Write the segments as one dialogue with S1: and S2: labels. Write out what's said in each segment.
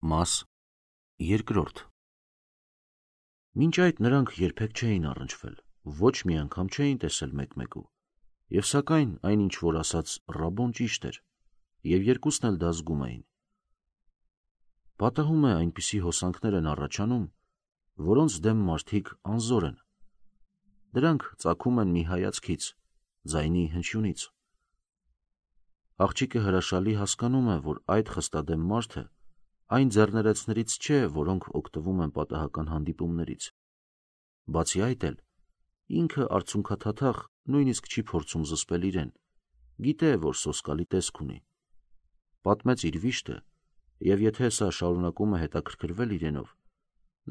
S1: Մաս երկրորդ Մինչ այդ նրանք երբեք չէին առնչվել, ոչ մի անգամ չէին տեսել մեկ-մեկու, և սակայն այն ինչ որ ասաց Ռաբոն ճիշտ էր, և երկուսն էլ դա զգում էին։ Պատահում է այնպիսի հոսանքներ են առաջանում, որոնց դեմ մարդիկ անզոր են։ Դրանք ծագում են մի հայացքից, ձայնի հնչյունից։ Աղջիկը հրաշալի հասկանում է, որ այդ խստադեմ մարդը այն ձեռներեցներից չէ, որոնք օգտվում են պատահական հանդիպումներից։ Բացի այդ էլ, ինքը արցունքաթաթախ նույնիսկ չի փորձում զսպել իրեն, գիտե, որ սոսկալի տեսք ունի։ Պատմեց իր վիշտը, և եթե սա շարունակում է հետաքրքրվել իրենով,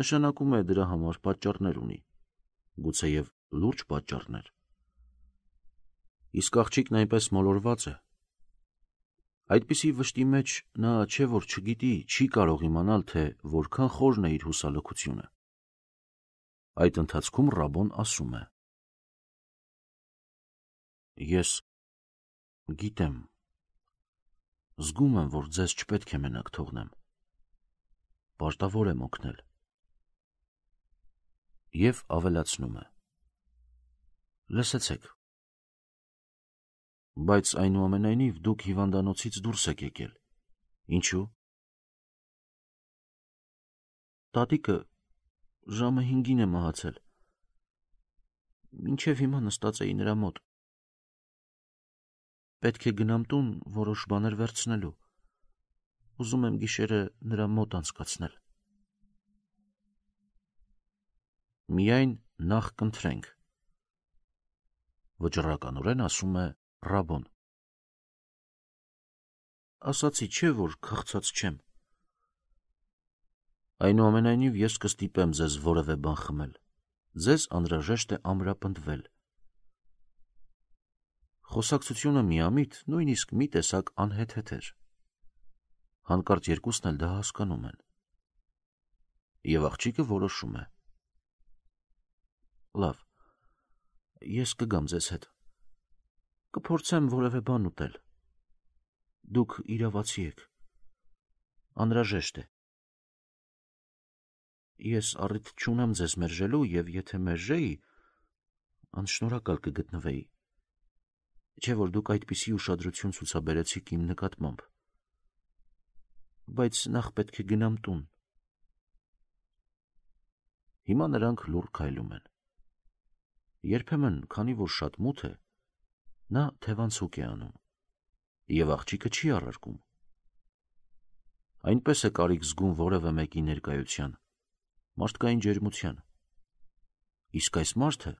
S1: նշանակում է դրա համար պատճառներ ունի, գուցեև լուրջ պատճառներ։ Իսկ աղջիկն այնպես մոլորված է։ Այդպիսի վշտի մեջ նա չէ որ չգիտի, չի կարող իմանալ, թե որքան խորն է իր հուսալքությունը։ Այդ ընթացքում Ռաբոն ասում է. Ես գիտեմ, զգում եմ, որ ձեզ չպետք է մենակ թողնեմ, պարտավոր եմ օգնել։ Եվ ավելացնում է. Լսեցեք, բայց այնուամենայնիվ դուք հիվանդանոցից դուրս եք եկել։ Ինչու՞։ Տատիկը ժամը 5-ին է մահացել։ Մինչև հիմա նստած էի նրա մոտ։ Պետք է գնամ տուն որոշ բաներ վերցնելու։ Ուզում եմ գիշերը նրա մոտ անցկացնել։ Միայն նախ կընտրենք, վճռականորեն ասում է Ռաբոն։ Ասացի չէ, որ քաղցած չեմ։ Այնուամենայնիվ ես կստիպեմ ձեզ որևէ բան խմել։ Ձեզ անհրաժեշտ է ամրապնդվել։ Խոսակցությունը միամիտ, նույնիսկ մի տեսակ անհեթեթ էր։ Հանկարծ երկուսն էլ դա հասկանում են։ Եվ աղջիկը որոշում է. Լավ, ես կգամ ձեզ հետ։ Կփորձեմ որևէ բան ուտել։ Դուք իրավացի եք։ Անհրաժեշտ է։ Ես առիթ չունեմ ձեզ մերժելու, և եթե մերժեի, անշնորհակալ կգտնվեի, չէ որ դուք այդպիսի ուշադրություն ցուցաբերեցիք իմ նկատմամբ։ Բայց նախ պետք է գնամ տուն։ Հիմա նրանք լուռ քայլում են։ Երբեմն, քանի որ շատ մութ է, նա թևանցուկ է անում, և աղջիկը չի առարկում։ Այնպես է կարիք զգում որևէ մեկի ներկայության, մարդկային ջերմության։ Իսկ այս մարդը,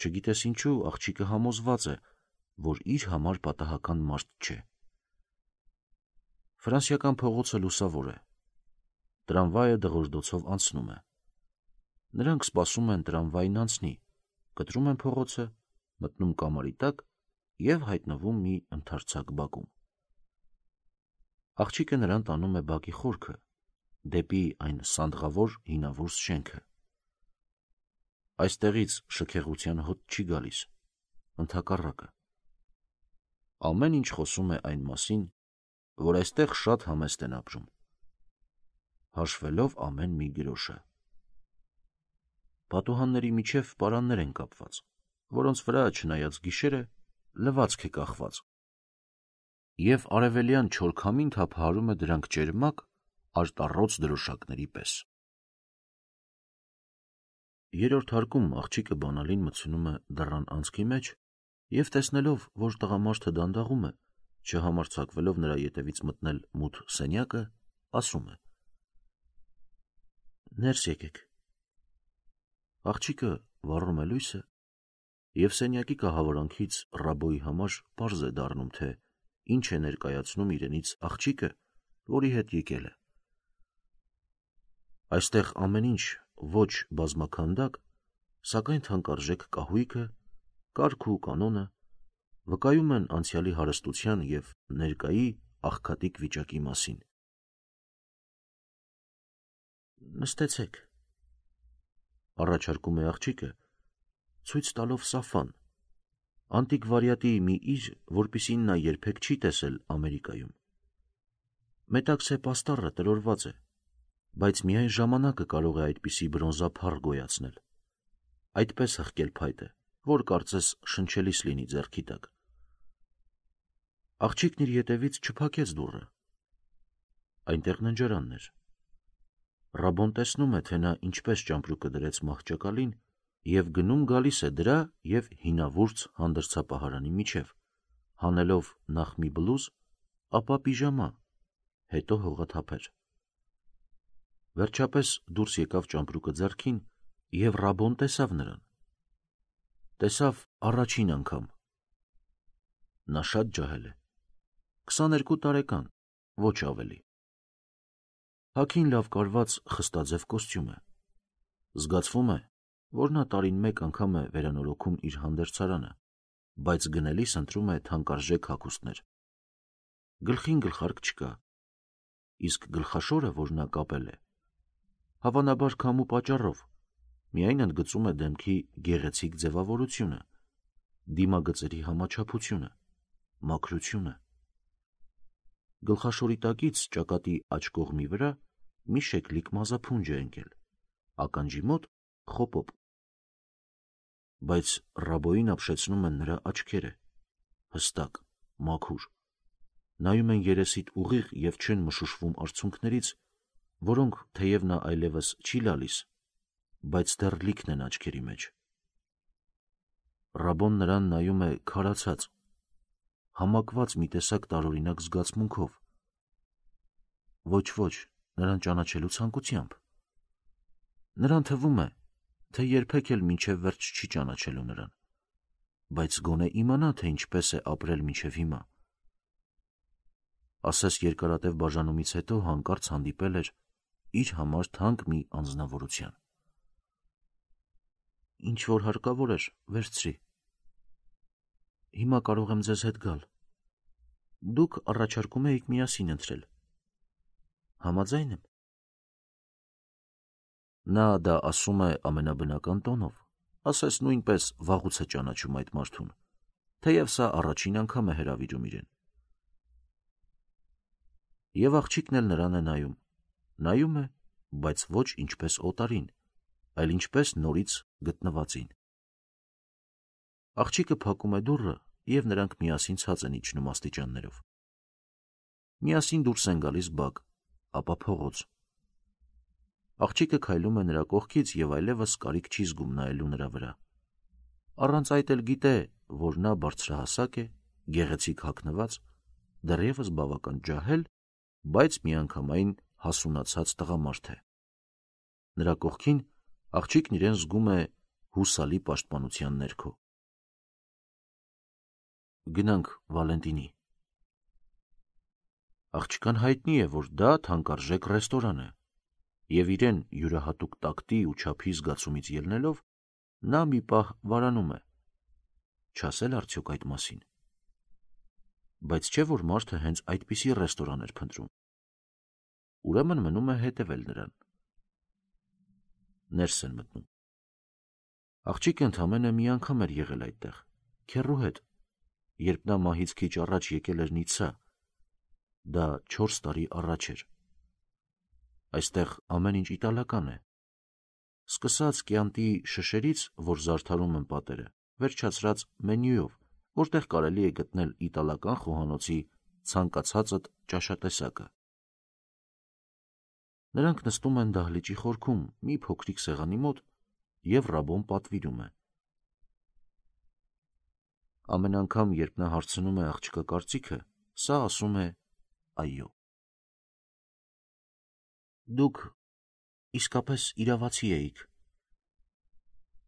S1: չգիտես ինչու, աղջիկը համոզված է, որ իր համար պատահական մարդ չէ։ Ֆրանսիական փողոցը լուսավոր է։ Տրամվայը դղրդոցով անցնում է։ Նրանք սպասում են տրամվային անցնի, կտրում են փողոցը, մտնում կամարի տակ և հայտնվում մի ընդարձակ բակում։ Աղջիկը նրան տանում է բակի խորքը, դեպի այն սանդղավոր հինավուրց շենքը։ Այստեղից շքեղության հոտ չի գալիս, ընդհակառակը։ Ամեն ինչ խոսում է այն մասին, որ այստեղ շատ համեստ են ապրում, հաշվելով ամեն մի գրոշը։ Պատուհանների միջև պարաններ են կապված, որոնց վրա, չնայած գիշեր է, լվացք է կախված, և արևելյան չոր քամին թափահարում է դրանք ճերմակ, արտառոց դրոշակների պես։ Երրորդ հարկում աղջիկը բանալին մտցնում է դռան անցքի մեջ և տեսնելով, որ տղամարդը դանդաղում է, չհամարձակվելով նրա ետևից մտնել մութ սենյակը, ասում է. Ներս եկեք։ Աղջիկը վառում է լույսը, և սենյակի կահավորանքից Ռաբոյի համար պարզ է դառնում, թե ինչ է ներկայացնում իրենից աղջիկը, որի հետ եկել է։ Այստեղ ամեն ինչ ոչ բազմաքանդակ, սակայն թանկարժեք կահույքը, կարգ ու կանոնը վկայում են անցյալի հարստության և ներկայի աղքատիկ վիճակի մասին։ Նստեցեք, առաջարկում է աղջիկը, ցույց տալով Սաֆան, անտիկվարիատի մի իր, որպիսին նա երբեք չի տեսել Ամերիկայում։ Մետաքսե պաստառը տրորված է, բայց միայն ժամանակը կարող է այդպիսի բրոնզափառ գոյացնել, այդպես հղկել փայտը, որ կարծես շնչելիս լինի ձեռքի տակ։ Աղջիկն իր ետևից չփակեց դուռը։ Այնտեղ ննջարանն էր։ Ռաբոն տեսնում է, թե նա ինչպես ճամպրուկը դրեց մահճակալին և գնում գալիս է դրա և հինավուրց հանդրձապահարանի միջև, հանելով նախ մի բլուզ, ապա պիժամա, հետո հողաթափեր։ Վերջապես դուրս եկավ ճամպրուկը ձեռքին և Ռաբոն տեսավ նրան։ Տեսավ առաջին անգամ։ Նա շատ ջահել է։ 22 տարեկան, ոչ ավելի։ Հագին լավ կարված խստաձև կոստյում է։ Զգացվում է, որ նա տարին մեկ անգամ է վերանորոգում իր հանդերձարանը, բայց գնելիս ընտրում է թանկարժեք հագուստներ։ Գլխին գլխարկ չկա, իսկ գլխաշորը, որ նա կապել է, հավանաբար քամու պատճառով, միայն ընդգծում է դեմքի գեղեցիկ ձևավորությունը, դիմագծերի համաչափությունը, մաքրությունը։ Գլխաշորի տակից ճակատի աջ կողմի վրա մի շեկլիկ մազափունջ է ընկել, ականջի մոտ խոպոպ։ Բայց Ռաբոյին ապշեցնում են նրա աչքերը, հստակ, մաքուր, նայում են երեսիդ ուղիղ և չեն մշուշվում արցունքներից, որոնք, թեև նա այլևս չի լալիս, բայց դեռ լիքն են աչքերի մեջ։ Ռաբոն նրան նայում է քարացած, համակված մի տեսակ տարօրինակ զգացմունքով, ոչ, նրան ճանաչելու ցանկությամբ։ Նրան թվում է, թե երբեք էլ մինչև վերջ չի ճանաչելու նրան, բայց գոնե իմանա, թե ինչպես է ապրել մինչև հիմա։ Ասես երկարատև բաժանումից հետո հանկարծ հանդիպել էր իր համար թանկ մի անձնավորության։ Ինչ որ հարկավոր էր, վերցրի։ Հիմա կարող եմ ձեզ հետ գալ։ Դուք առաջարկում էիք միասին ընթրել։ Համաձայն եմ։ Նա դա ասում է ամենաբնական տոնով, ասես նույնպես վաղուց է ճանաչում այդ մարդուն, թեև սա առաջին անգամ է հրավիրում իրեն։ Եվ աղջիկն էլ նրան է նայում է, բայց ոչ ինչպես օտարին, այլ ինչպես նորից գտնվածին։ Աղջիկը փակում է դուռը, և նրանք միասին ցած են իջնում աստիճաններով։ Միասին դուրս են գալիս բակ, ապա փողոց։ Աղջիկը քայլում է նրա կողքից և այլևս կարիք չի զգում նայելու նրա վրա։ Առանց այդ էլ գիտե, որ նա բարձրահասակ է, գեղեցիկ հագնված, դեռևս բավական ջահել, բայց միանգամայն հասունացած տղամարդ է։ Նրա կողքին աղջիկն իրեն զգում է հուսալի պաշտպանության ներքո։ Գնանք Վալենտինի։ Աղջկան հայտնի է, որ դա թանկարժեք ռեստորան է, և իրեն յուրահատուկ տակտի ու չափի զգացումից ելնելով, նա մի պահ վարանում է, չասել արդյոք այդ մասին։ Բայց չէ՞ որ մարդը հենց այդպիսի ռեստորան էր փնտրում։ Ուրեմն մնում է հետևել նրան։ Ներս են մտնում։ Աղջիկը ընդամենը մի անգամ էր եղել այդտեղ, քեռու հետ, երբ նա մահից քիչ առաջ եկել էր Նիցսա, դա 4 տարի առաջ էր։ Այստեղ ամեն ինչ իտալական է։ Սկսած կյանտի շշերից, որ զարդարում են պատերը, վերջացրած մենյուով, որտեղ կարելի է գտնել իտալական խոհանոցի ցանկացածդ ճաշատեսակը։ Նրանք նստում են դահլիճի խորքում մի փոքրիկ սեղանի մոտ, և Ռաբոն պատվիրում է։ Ամեն անգամ, երբ նա հարցնում է աղջկա կարծիքը, սա ասում է այո։ Դուք իսկապես իրավացի էիք,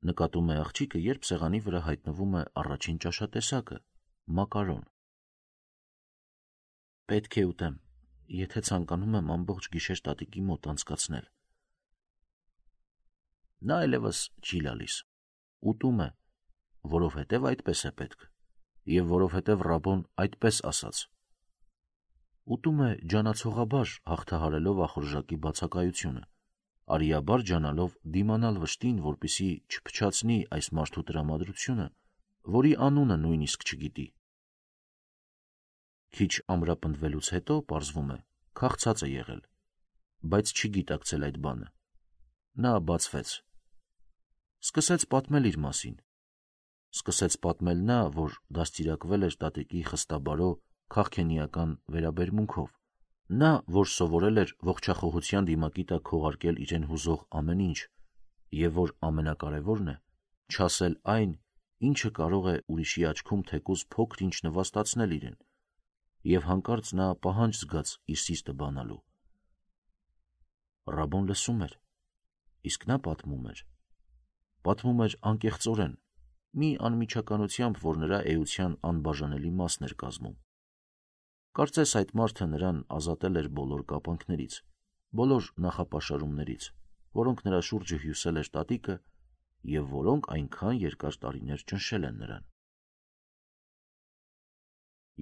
S1: նկատում է աղջիկը, երբ սեղանի վրա հայտնվում է առաջին ճաշատեսակը՝ մակարոն։ Պետք է ուտեմ, եթե ցանկանում եմ ամբողջ գիշեր տատիկի մոտ անցկացնել։ Նա այլևս չի լալիս, ուտում է, որովհետև այդպես է պետք, և որովհետև Ռաբոն այդպես ասաց։ Ուտում է ջանացողաբար, հաղթահարելով ախորժակի բացակայությունը, արիաբար ջանալով դիմանալ վշտին, որպեսզի չփչացնի այս մարդու տրամադրությունը, որի անունը նույնիսկ չգիտի։ Քիչ ամրապնդվելուց հետո պարզվում է՝ քաղցած է եղել, բայց չգիտակցել այդ բանը։ Նա բացվեց։ Սկսեց պատմել իր մասին։ Սկսեց պատմել նա, որ դաստիարակվել էր տատիկի խստաբարո, քաղքենիական վերաբերմունքով։ Նա, որ սովորել էր ողջախոհության դիմակի տակ քողարկել իրեն հուզող ամեն ինչ, եւ որ ամենակարևորն է, չասել այն, ինչը կարող է ուրիշի աչքում թեկուզ փոքր-ինչ նվաստացնել իրեն, եւ հանկարծ նա պահանջ զգաց իր սիրտը բանալու։ Ռաբոն լսում էր, իսկ նա պատմում էր։ Պատմում էր անկեղծորեն, մի անմիջականությամբ, որ նրա էության անբաժանելի մասն էր կազմում։ Կարծես այդ մարդը նրան ազատել էր բոլոր կապանքներից, բոլոր նախապաշարումներից, որոնք նրա շուրջը հյուսել էր տատիկը եւ որոնք այնքան երկար տարիներ ճնշել են նրան։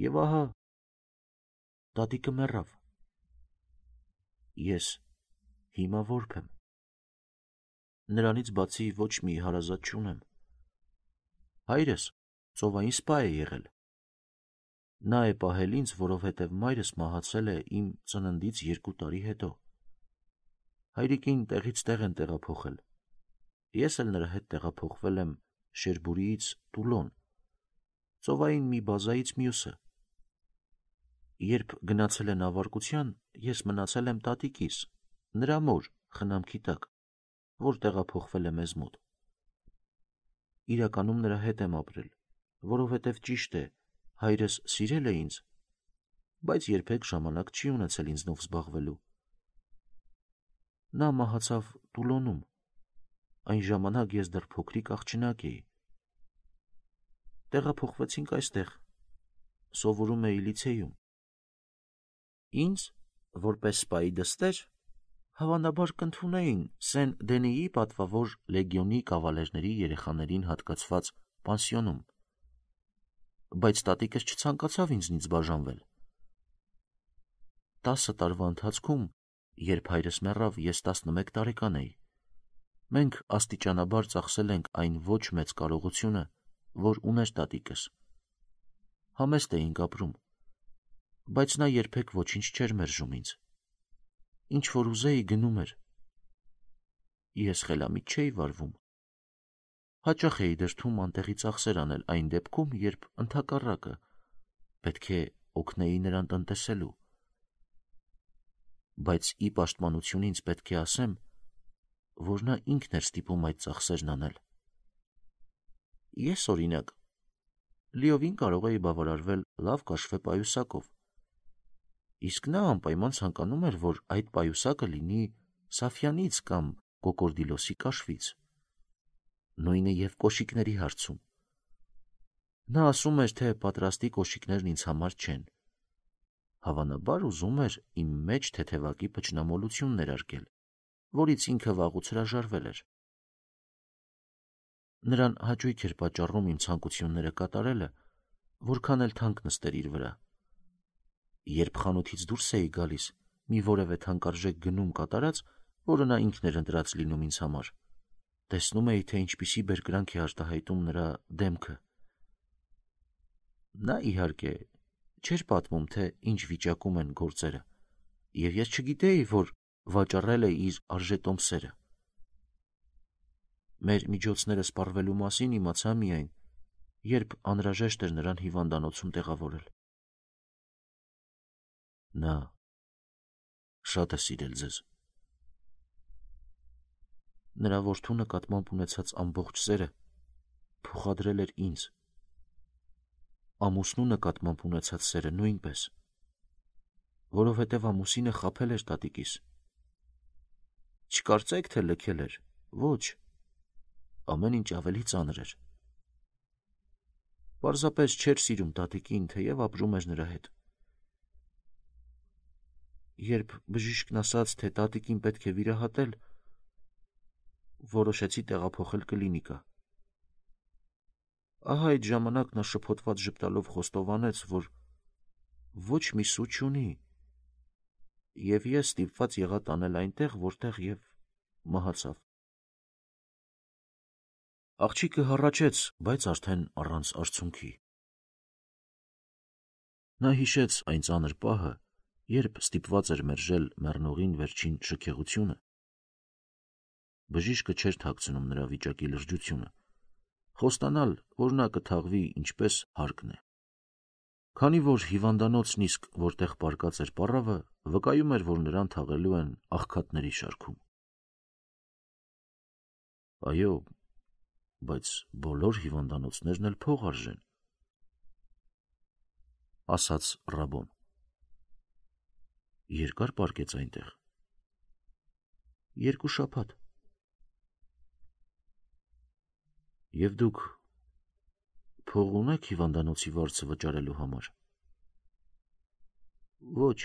S1: Եվ ահա տատիկը մեռավ։ Ես հիմա որբ եմ։ Նրանից բացի ոչ մի հարազատ չունեմ։ Հայրս ծովային սպա է եղել։ Նա է պահել ինձ, որովհետև մայրս մահացել է իմ ծննդից 2 տարի հետո։ Հայրիկին տեղից տեղ են տեղափոխել։ Ես էլ նրա հետ տեղափոխվել եմ Շերբուրիից Տուլոն, ծովային մի բազայից մյուսը։ Երբ գնացել են ավարկության, ես մնացել եմ տատիկիս, նրա մոր խնամքի տակ, որ տեղափոխվել է մեզ մոտ։ Իրականում նրա հետ եմ ապրել, որովհետև ճիշտ է, հայրս սիրել է ինձ, բայց երբեք ժամանակ չի ունեցել ինձնով զբաղվելու։ Նա մահացավ Տուլոնում, այն ժամանակ ես դեռ փոքրիկ աղջնակ էի։ Տեղափոխվեցինք այստեղ, սովորում էի լիցեյում։ Ինձ, որպես սպայի դստեր, հավանաբար կընդունեին Սեն Դենիի պատվավոր լեգիոնի կավալերների երեխաներին հատկացված պանսիոնում, բայց տատիկս չցանկացավ ինձնից բաժանվել։ 10 տարվա ընթացքում, երբ հայրս մեռավ, ես 11 տարեկան էի։ Մենք աստիճանաբար ծախսել ենք այն ոչ մեծ կարողությունը, որ ուներ տատիկս։ Համեստ էինք ապրում, բայց նա երբեք ոչինչ չէր մերժում ինձ։ Ինչ որ ուզեի գնում էր։ Ես խելամիտ չէի վարվում։ Հաճախ էի դրդում անտեղի ծախսեր անել այն դեպքում, երբ ընդհակառակը պետք է օգնեի նրան տնտեսելու։ Բայց ի պաշտպանություն ինձ պետք է ասեմ, որ նա ինքն էր ստիպում այդ ծախսերն անել։ Ես, օրինակ, լիովին կարող էի բավարարվել լավ կաշվե պայուսակով, իսկ նա անպայման ցանկանում էր, որ այդ պայուսակը լինի Սաֆյանից կամ Կոկորդիլոսի կաշվից։ Նույնը եւ կոշիկների հարցում։ Նա ասում էր, թե պատրաստի կոշիկներն ինձ համար չեն։ Հավանաբար ուզում էր իմ մեջ թեթևակի փչնամոլություն ներարկել, որից ինքը վաղուց հրաժարվել էր։ Նրան հաճույք էր պատճառում իմ ցանկությունները կատարելը, որքան էլ թանկ նստեր իր վրա։ Երբ խանութից դուրս էի գալիս, մի որևէ թանկարժեք գնում կատարած, որը նա ինքն էր ընտրած լինում ինձ համար, տեսնում էի, թե ինչպիսի բերկրանք է արտահայտում նրա դեմքը։ Նա, իհարկե, չէր պատմում, թե ինչ վիճակում են գործերը, եւ ես չգիտեի, որ վաճառել է իր արժետոմսերը։ Մեր միջոցները սպառվելու մասին իմացա միայն, երբ անհրաժեշտ էր նրան հիվանդանոցում տեղավորել։ Նա շատ է սիրել ձեզ։ Նրա որդու նկատմամբ ունեցած ամբողջ սերը փոխադրել էր ինձ։ Ամուսնու նկատմամբ ունեցած սերը նույնպես, որովհետև ամուսինը խաբել էր տատիկիս։ Չկարծեք, թե լքել էր, ոչ, ամեն ինչ ավելի ծանր էր։ Պարզապես չէր սիրում տատիկին, թեև ապրում էր նրա հետ։ Երբ բժիշկն ասաց, թե տատիկին պետք է վիրահատել, որոշեցի տեղափոխել կլինիկա։ Ահա այդ ժամանակ նա շփոթված ժպտալով խոստովանեց, որ ոչ մի սու չունի, եւ ես ստիպված եղա տանել այնտեղ, որտեղ եւ մահացավ։ Աղջիկը հառաչեց, բայց արդեն առանց արցունքի։ Նա հիշեց այն ծանր պահը, երբ ստիպված էր մերժել մեռնողին վերջին շքեղությունը, բժիշկը չէր թաքցնում նրա վիճակի լրջությունը, խոստանալ, որ նա կթաղվի ինչպես հարկն է։ Քանի որ հիվանդանոցն իսկ որտեղ պառկած էր պառավը, վկայում էր, որ նրան թաղելու են աղքատների շարքում։ Այո, բայց բոլոր հիվանդանոցներն էլ փող արժեն, ասաց Ռաբոն։ Երկար պառկեց այնտեղ։ 2 շաբաթ։ Եվ դուք փող ունեք հիվանդանոցի վարձը վճարելու համար։ Ոչ,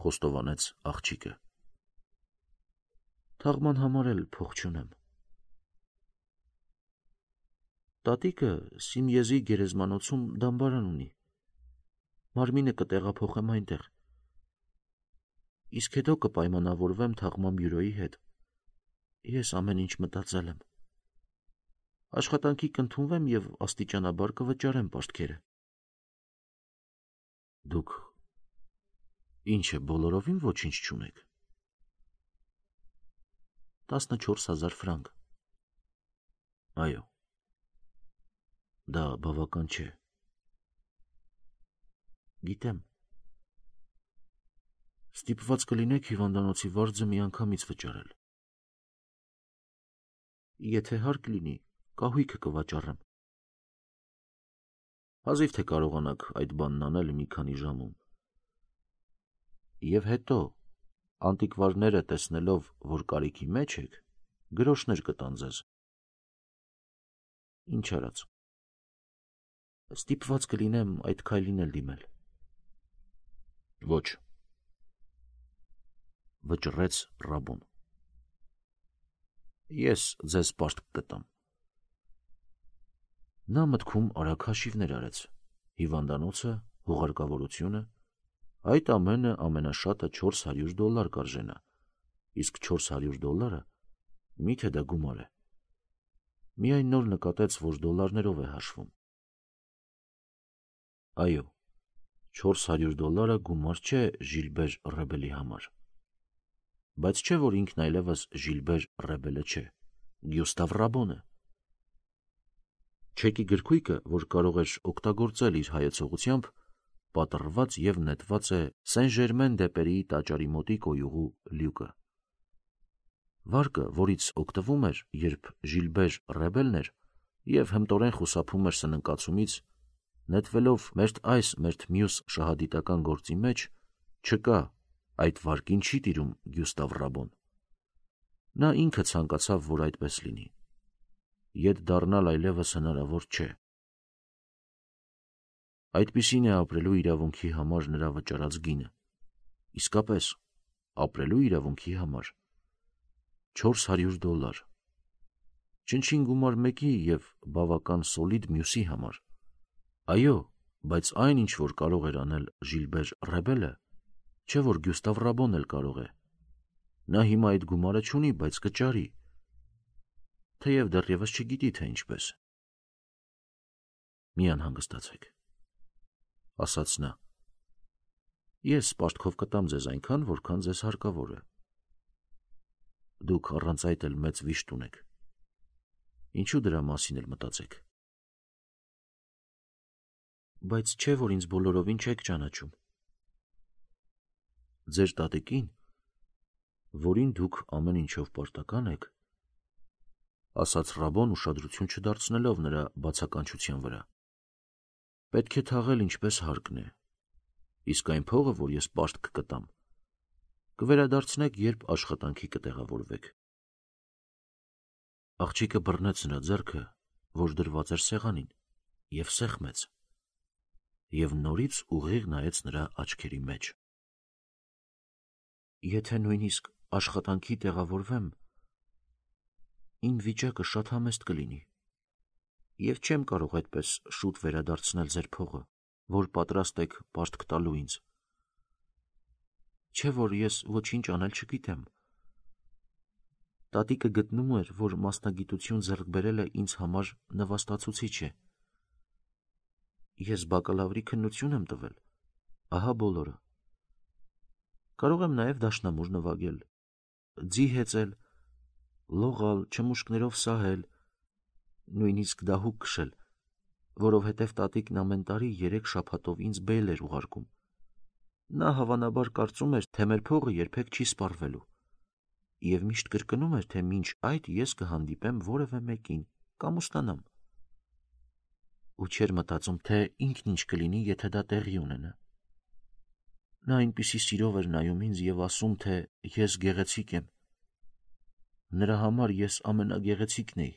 S1: խոստովանեց աղջիկը։ Թաղման համար էլ փող չունեմ։ Տատիկը Սիմյեզի գերեզմանոցում դամբարան ունի։ Մարմինը կտեղափոխեմ այնտեղ։ Իսկ հետո կպայմանավորվեմ թաղման բյուրոյի հետ։ Ես ամեն ինչ մտածել եմ։ Աշխատանքի կընդունվեմ և աստիճանաբար կվճարեմ պարտքերը։ Դուք ինչ է, բոլորովին ոչինչ չունեք։ 14,000 ֆրանկ։ Այո, դա բավական չէ։ Գիտեմ։ Ստիպված կլինեք հիվանդանոցի վարձը միանգամից վճարել։ Եթե հարկ լինի, կահույքը կվաճառեմ։ Հազիվ թե կարողանաք այդ բանն անել մի քանի ժամում։ Եվ հետո, անտիկվարները տեսնելով, որ կարիքի մեջ եք, գրոշներ կտան ձեզ։ Ինչ արած։ Ստիպված կլինեմ այդ քայլին էլ դիմել։ Ոչ, վճռեց Ռաբոն։ Ես ձեզ պարտք կտամ։ Նա մտքում արագ հաշիվներ արեց։ Հիվանդանոցը, հուղարկավորությունը, այդ ամենը ամենաշատը $400 կարժենա, իսկ $400 միթե դա գումար է։ Միայն նոր նկատեց, որ դոլարներով է հաշվում։ Այո, $400 գումար չէ Ժիլբեր Ռեբելի համար։ Բայց չէ, որ ինքն այլևս Ժիլբեր Ռեբելը չէ, Գյուստավ Ռաբոնը։ Չեկի գրքույկը, որ կարող էր օգտագործել իր հայեցողությամբ, պատռված և նետված է Սեն-Ժերմեն-դե-Պերիի տաճարի մոտի կոյուղու լյուկը։ Վարկը, որից օգտվում էր, երբ Ժիլբեր Ռեբելն էր և հմտորեն խուսափում էր սննկացումից, նետվելով մերթ այս, մերթ մյուս շահադիտական գործի մեջ, չկա, այդ վարկին չի տիրում Գյուստավ Ռաբոն։ Նա ինքը ցանկացավ, որ այդպես լինի։ Ետ դառնալ այլևս հնարավոր չէ։ Այդպիսին է ապրելու իրավունքի համար նրա վճարած գինը։ Իսկապես, ապրելու իրավունքի համար։ $400։ Չնչին գումար մեկի և բավական սոլիդ մյուսի համար։ Այո, բայց այն, ինչ որ կարող էր անել Ժիլբեր Ռեբելը, չէ որ Գյուստավ Ռաբոն էլ կարող է։ Նա հիմա այդ գումարը չունի, բայց կճարի, թեև դեռևս չգիտի, թե ինչպես։ Մի անհանգստացեք, ասաց նա։ Ես պարտքով կտամ ձեզ այնքան, որքան ձեզ հարկավոր է։ Դուք առանց այդ էլ մեծ վիշտ ունեք։ Ինչու դրա մասին էլ մտածեք։ Բայց չէ, որ ինձ բոլորովին չեք ճանաչում։ Ձեր տատիկին, որին դուք ամեն ինչով պարտական եք, ասաց Ռաբոն ուշադրություն չդարձնելով նրա բացականչության վրա, պետք է թաղել ինչպես հարկն է, իսկ այն փողը, որ ես պարտք կտամ, կվերադարձնեք, երբ աշխատանքի կտեղավորվեք։ Աղջիկը բռնեց նրա ձեռքը, որ դրված էր սեղանին, և սեղմեց, և նորից ուղիղ նայեց նրա աչքերի մեջ։ Եթե նույնիսկ աշխատանքի տեղավորվեմ, իմ վիճակը շատ համեստ կլինի, և չեմ կարող այդպես շուտ վերադարձնել ձեր փողը, որ պատրաստ եք պարտք տալու ինձ։ Չէ որ ես ոչինչ անել չգիտեմ։ Տատիկը գտնում էր, որ մասնագիտություն ձեռք բերելը ինձ համար նվաստացուցիչ է։ Ես բակալավրի քննություն եմ տվել, ահա բոլորը, Կարող եմ նաև դաշնամուր նվագել, ձի հեծել, լողալ, չմուշկներով սահել, նույնիսկ դահուկ քշել, որովհետև տատիկն ամեն տարի 3 շաբաթով ինձ բեյլ էր ուղարկում։ Նա հավանաբար կարծում էր, թե մեր փողը երբեք չի սպառվելու, և միշտ կրկնում էր, թե մինչ այդ ես կհանդիպեմ որևէ մեկին կամ ուստանամ։ Ու չէր մտածում, թե ինքն ինչ կլինի, եթե դա տեղի ունենա։ Նա այնպիսի սիրով էր նայում ինձ և ասում, թե ես գեղեցիկ եմ։ Նրա համար ես ամենագեղեցիկն էի,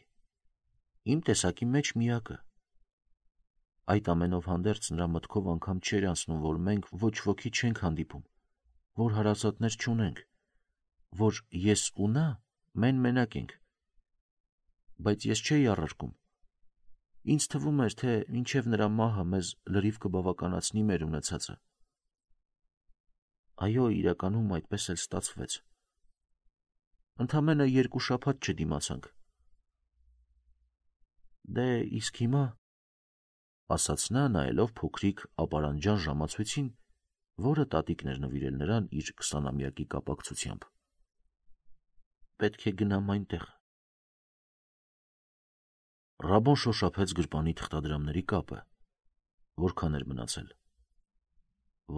S1: իմ տեսակի մեջ միակը։ Այդ ամենով հանդերձ նրա մտքով անգամ չէր անցնում, որ մենք ոչ ոքի չենք հանդիպում, որ հարազատներ չունենք, որ ես ու նա մեն-մենակ ենք։ Բայց ես չէի առարկում։ Ինձ թվում էր, թե մինչև նրա մահը մեզ լրիվ կբավականացնի մեր ունեցածը։ Այո, իրականում այդպես էլ ստացվեց։ Ընդամենը 2 շաբաթ չդիմացանք։ Դե իսկ հիմա, ասաց նա, նայելով փոքրիկ ապարանջան ժամացույցին, որը տատիկն էր նվիրել նրան իր 20-ամյակի կապակցությամբ։ Պետք է գնամ այնտեղ։ Ռաբոն շոշափեց գրպանի թղթադրամների կապը։ Որքան էր մնացել։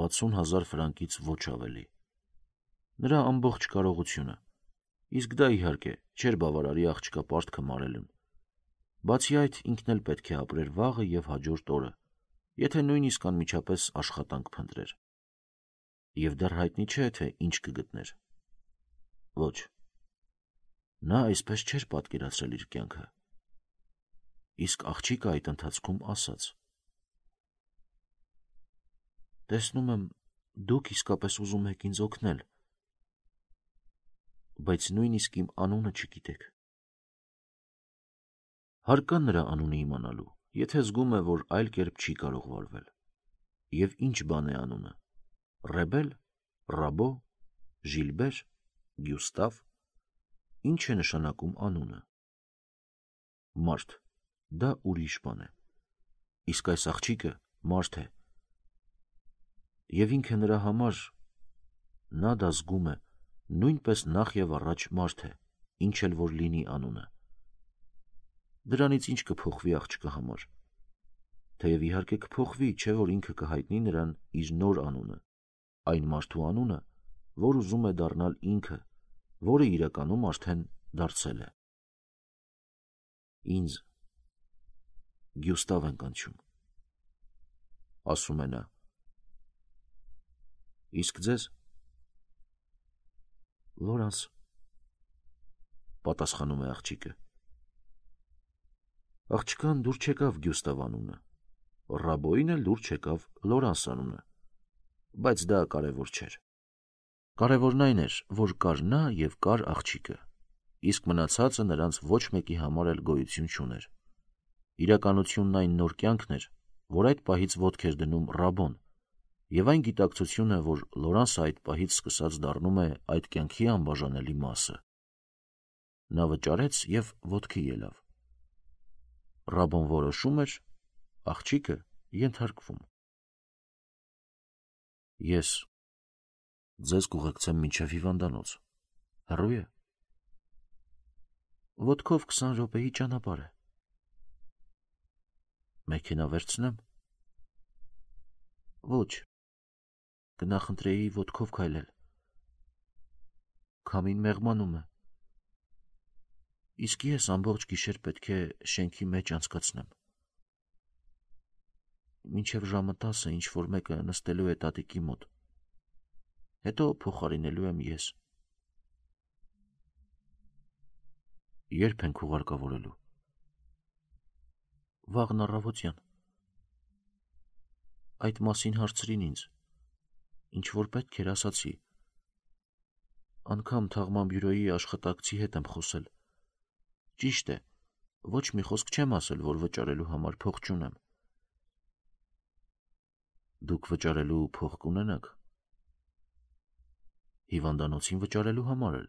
S1: 60,000 ֆրանկից ոչ ավելի։ Նրա ամբողջ կարողությունը, իսկ դա իհարկե չէր բավարարի աղջկա պարտքը մարելուն։ Բացի այդ, ինքն էլ պետք է ապրեր վաղը և հաջորդ օրը, եթե նույնիսկ անմիջապես աշխատանք փնտրեր։ Եվ դեռ հայտնի չէ, թե ինչ կգտներ։ Ոչ։ Նա այսպես չէր պատկերացրել իր կյանքը։ Իսկ աղջիկը այդ ընթացքում ասաց. Տեսնում եմ, դուք իսկապես ուզում եք ինձ օգնել, բայց նույնիսկ իմ անունը չգիտեք։ Հարկա նրա անունը իմանալու, եթե զգում է, որ այլ կերպ չի կարող վարվել։ Եվ ինչ բան է անունը։ Ռեբել, Ռաբո, Ժիլբեր, Գյուստավ, ինչ է նշանակում անունը։ Մարդ, դա ուրիշ բան է։ Իսկ այս աղջիկը մարդ է։ Եվ ինքը նրա համար, նա դա զգում է, նույնպես նախ և առաջ մարդ է, ինչ էլ որ լինի անունը։ Դրանից ինչ կփոխվի աղջկա համար։ Թեև իհարկե կփոխվի, չէ որ ինքը կհայտնի նրան իր նոր անունը, այն մարդու անունը, որ ուզում է դառնալ ինքը, որը իրականում արդեն դարձել է։ Ինձ Գյուստավ են կանչում, ասում է նա։ Իսկ ձեզ։ Լորանս, պատասխանում է աղջիկը։ Աղջկան դուր չեկավ Գյուստավ անունը, Ռաբոին էլ դուր չեկավ Լորանս անունը, բայց դա կարևոր չէր։ Կարևորն այն էր, որ կար նա և կար աղջիկը, իսկ մնացածը նրանց ոչ մեկի համար էլ գոյություն չուներ։ Իրականությունն այն նոր կյանքն էր, որ այդ պահից ոտք էր դնում Ռաբոն, և այն գիտակցությունը, որ Լորանսը այդ պահից սկսած դառնում է այդ կյանքի անբաժանելի մասը։ Նա վճարեց և ոտքի ելավ։ Ռաբոն որոշում էր, աղջիկը ենթարկվում։ Ես ձեզ կուղեկցեմ մինչև հիվանդանոց։ Հեռու է։ Ոտքով 20 րոպեի ճանապարհ է։ Մեքենա վերցնեմ։ Ոչ, կնախընտրեի ոտքով քայլել։ Քամին մեղմանում է։ Իսկ ես ամբողջ գիշեր պետք է շենքի մեջ անցկացնեմ։ Մինչև ժամը 10-ը ինչ-որ մեկը նստելու է տատիկի մոտ։ Հետո փոխարինելու եմ ես։ Երբ ենք ուղարկավորելու։ Վաղն առավոտյան։ Այդ մասին հարցրին ինձ։ Ինչ որ պետք էր ասացի։ Անգամ թաղման բյուրոյի աշխատակցի հետ եմ խոսել։ Ճիշտ է, ոչ մի խոսք չեմ ասել, որ վճարելու համար փող չունեմ։ Դուք վճարելու փող կունենաք։ Հիվանդանոցին վճարելու համար էլ։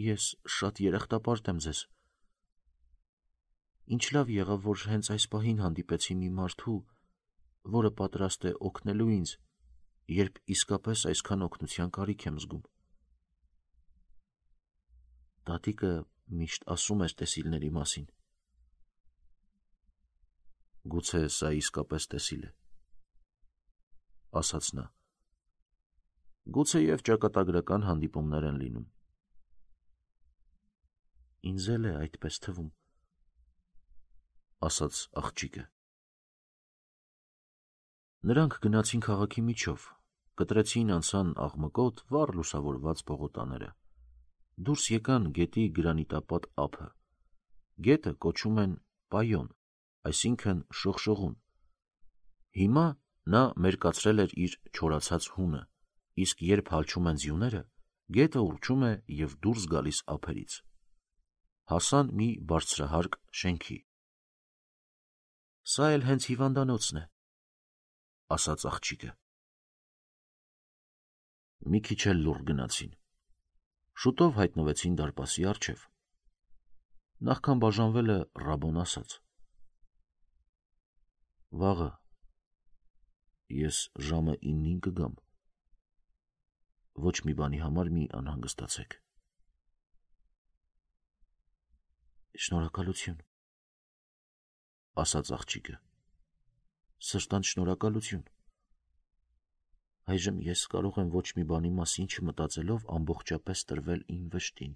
S1: Ես շատ երախտապարտ եմ ձեզ։ Ինչ լավ եղավ, որ հենց այս պահին հանդիպեցի մի մարդու, որը պատրաստ է օգնելու ինձ, երբ իսկապես այսքան օգնության կարիք եմ զգում։ Տատիկը միշտ ասում էր տեսիլների մասին։ Գուցե սա իսկապես տեսիլ է, ասաց նա։ Գուցե և ճակատագրական հանդիպումներ են լինում։ Ինձ էլ է այդպես թվում, ասաց աղջիկը։ Նրանք գնացին քաղաքի միջով, կտրեցին անցան աղմկոտ, վառ լուսավորված պողոտաները, դուրս եկան գետի գրանիտապատ ափը։ Գետը կոչում են Պայոն, այսինքն շողշողուն։ Հիմա նա մերկացրել էր իր չորացած հունը, իսկ երբ հալչում են ձյուները, գետը ուռչում է և դուրս գալիս ափերից։ Հասան մի բարձրահարկ շենքի։ Սա էլ հենց հիվանդանոցն է, ասաց աղջիկը։ Մի քիչ էլ լուռ գնացին։ Շուտով հայտնվեցին դարպասի առջև։ Նախքան բաժանվելը Ռաբոն ասաց. Վաղը ես ժամը 9-ին կգամ։ Ոչ մի բանի համար մի անհանգստացեք։ Շնորհակալություն, ասաց աղջիկը։ Սրտանց շնորհակալություն։ Այժմ ես կարող եմ ոչ մի բանի մասին չմտածելով ամբողջապես տրվել իմ վշտին։